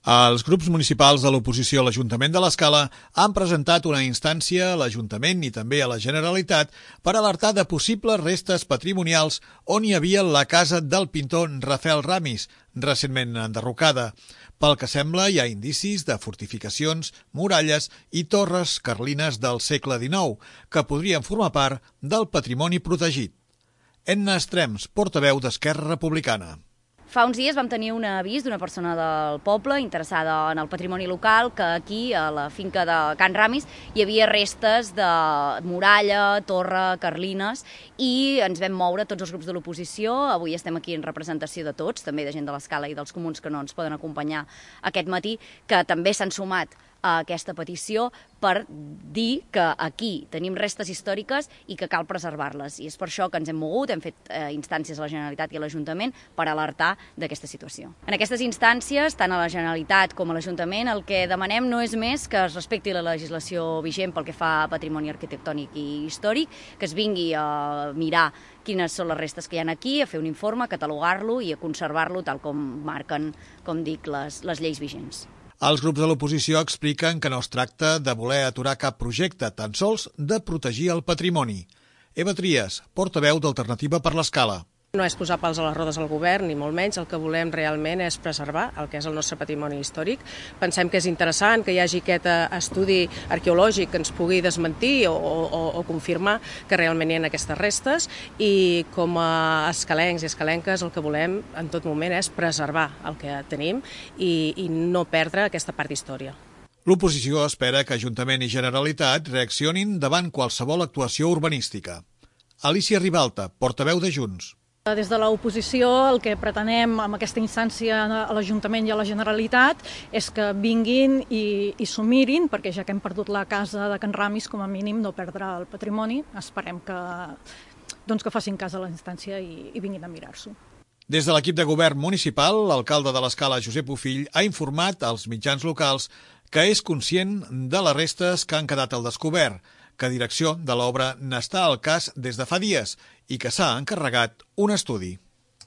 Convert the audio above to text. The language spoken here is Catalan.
Els grups municipals de l'oposició a l'Ajuntament de l'Escala han presentat una instància a l'Ajuntament i també a la Generalitat per alertar de possibles restes patrimonials on hi havia la casa del pintor Rafael Ramis, recentment enderrocada. Pel que sembla, hi ha indicis de fortificacions, muralles i torres carlines del segle XIX que podrien formar part del patrimoni protegit. Edna Estrems, portaveu d'Esquerra Republicana. Fa uns dies vam tenir un avís d'una persona del poble interessada en el patrimoni local que aquí, a la finca de Can Ramis, hi havia restes de muralla, torre, carlines, i ens vam moure tots els grups de l'oposició. Avui estem aquí en representació de tots, també de gent de l'Escala i dels comuns que no ens poden acompanyar aquest matí, que també s'han sumat a aquesta petició per dir que aquí tenim restes històriques i que cal preservar-les. I és per això que ens hem mogut, hem fet instàncies a la Generalitat i a l'Ajuntament per alertar d'aquesta situació. En aquestes instàncies, tant a la Generalitat com a l'Ajuntament, el que demanem no és més que es respecti la legislació vigent pel que fa a patrimoni arquitectònic i històric, que es vingui a mirar quines són les restes que hi ha aquí, a fer un informe, a catalogar-lo i a conservar-lo tal com marquen, com dic, les lleis vigents. Els grups de l'oposició expliquen que no es tracta de voler aturar cap projecte, tan sols de protegir el patrimoni. Eva Trias, portaveu d'Alternativa per l'Escala. No és posar pals a les rodes al govern, ni molt menys. El que volem realment és preservar el que és el nostre patrimoni històric. Pensem que és interessant que hi hagi aquest estudi arqueològic que ens pugui desmentir o confirmar que realment hi ha aquestes restes, i com a escalencs i escalenques el que volem en tot moment és preservar el que tenim i no perdre aquesta part d'història. L'oposició espera que Ajuntament i Generalitat reaccionin davant qualsevol actuació urbanística. Alicia Ribalta, portaveu de Junts. Des de l'oposició el que pretenem amb aquesta instància a l'Ajuntament i a la Generalitat és que vinguin i s'ho mirin, perquè ja que hem perdut la casa de Can Ramis, com a mínim no perdre el patrimoni. Esperem que facin cas a la instància i vinguin a mirar-s'ho. Des de l'equip de govern municipal, l'alcalde de l'Escala, Josep Bofill, ha informat als mitjans locals que és conscient de les restes que han quedat al descobert, que direcció de l'obra n'està al cas des de fa dies i que s'ha encarregat un estudi.